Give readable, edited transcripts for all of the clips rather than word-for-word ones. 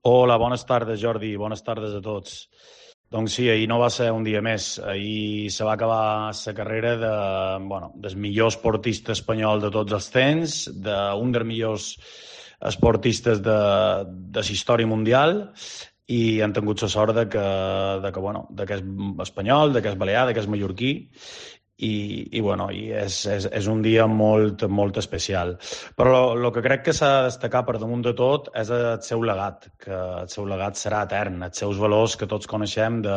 Hola, bones tardes, Jordi. Bones tardes a tots. Doncs sí, ahir no va ser un dia més. Ahir se va acabar la carrera del millor esportista espanyol de tots els temps, d'un dels millors esportistes de la història mundial, i han tingut la sort de que és espanyol, de que és balear, de que és mallorquí, i és un dia molt especial. Però el que crec que s'ha de destacar per damunt de tot és el seu legat, que el seu legat serà etern, els seus valors que tots coneixem de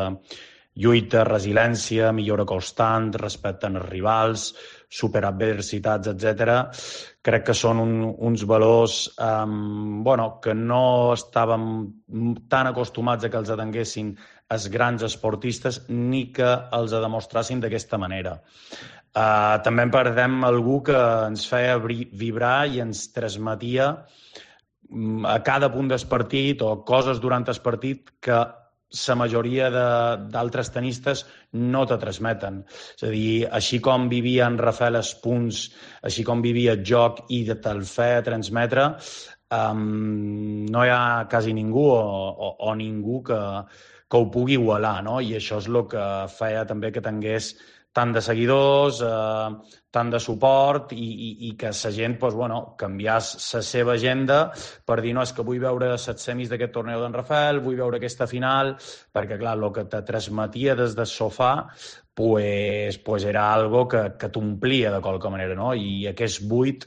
lluita, resiliència, millora constant, respecte als rivals, superar adversitats, etc. Crec que són uns valors que no estàvem tan acostumats a que els atenguessin els grans esportistes ni que els demostrassin d'aquesta manera. També en perdem algú que ens feia vibrar i ens transmetia a cada punt del partit o coses durant el partit que la majoria d'altres tenistes no te transmeten. És a dir, així com vivia en Rafael els punts, així com vivia el joc i te'l feia transmetre, no hi ha quasi ningú o ningú que ho pugui igualar, no? I això és el que feia també que tingués tant de seguidors, tant de suport i que la gent canviés la seva agenda per dir no, és que vull veure les semis d'aquest torneu d'en Rafael, vull veure aquesta final, perquè clar, el que te transmetia des del sofà pues era algo que t'omplia de qualque manera, no? I aquest buit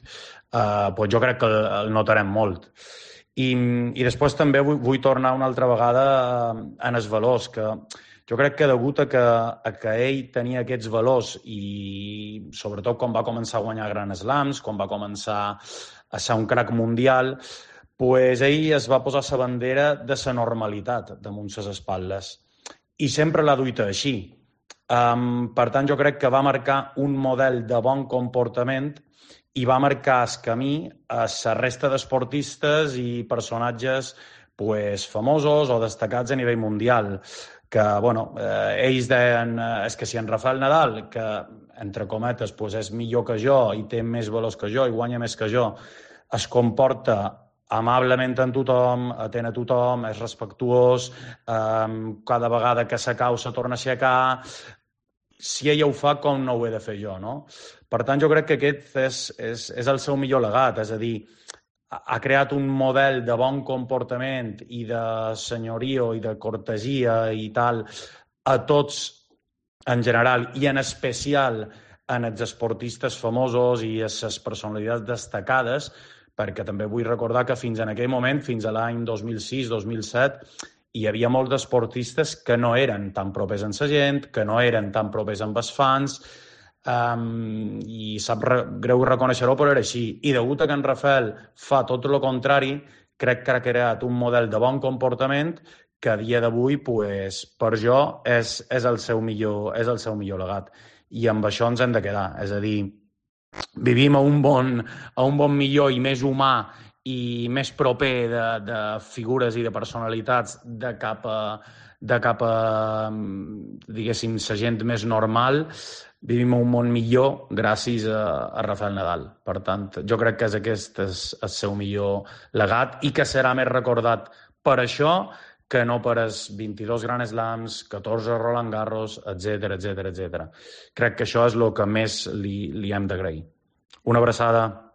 jo crec que el notarem molt. I després també vull tornar una altra vegada en els valors, que jo crec que degut a que ell tenia aquests valors i sobretot quan va començar a guanyar Grand Slams, quan va començar a ser un crack mundial, pues ell es va posar la bandera de la normalitat damunt les espatlles i sempre l'ha duita així. Per tant, jo crec que va marcar un model de bon comportament i va marcar el camí a la resta d'esportistes i personatges famosos o destacats a nivell mundial, que ells deien és que si en Rafael Nadal, que entre cometes és millor que jo i té més valors que jo i guanya més que jo, es comporta amablement amb tothom, atén a tothom, és respectuós, cada vegada que s'acau se torna a aixecar. Si ella ho fa, com no ho he de fer jo, no? Per tant, jo crec que aquest és el seu millor legat, és a dir, ha creat un model de bon comportament i de senyorio i de cortesia i tal a tots en general i en especial en els esportistes famosos i a les personalitats destacades, perquè també vull recordar que fins en aquell moment, fins a l'any 2006-2007, hi havia molts d'esportistes que no eren tan propers amb la gent, que no eren tan propers amb els fans, i sap greu reconèixer-ho, però era així. I degut a que en Rafael fa tot el contrari, crec que ha creat un model de bon comportament que a dia d'avui, per jo, és el seu millor legat. I amb això ens hem de quedar. És a dir, vivim a un bon millor i més humà i més proper de figures i de personalitats de cap a diguéssim, la gent més normal. Vivim un món millor gràcies a Rafael Nadal. Per tant, jo crec que aquest és el seu millor legat i que serà més recordat per això que no per els 22 Grand Slams, 14 Roland Garros, etc. Crec que això és el que més li hem d'agrair. Una abraçada.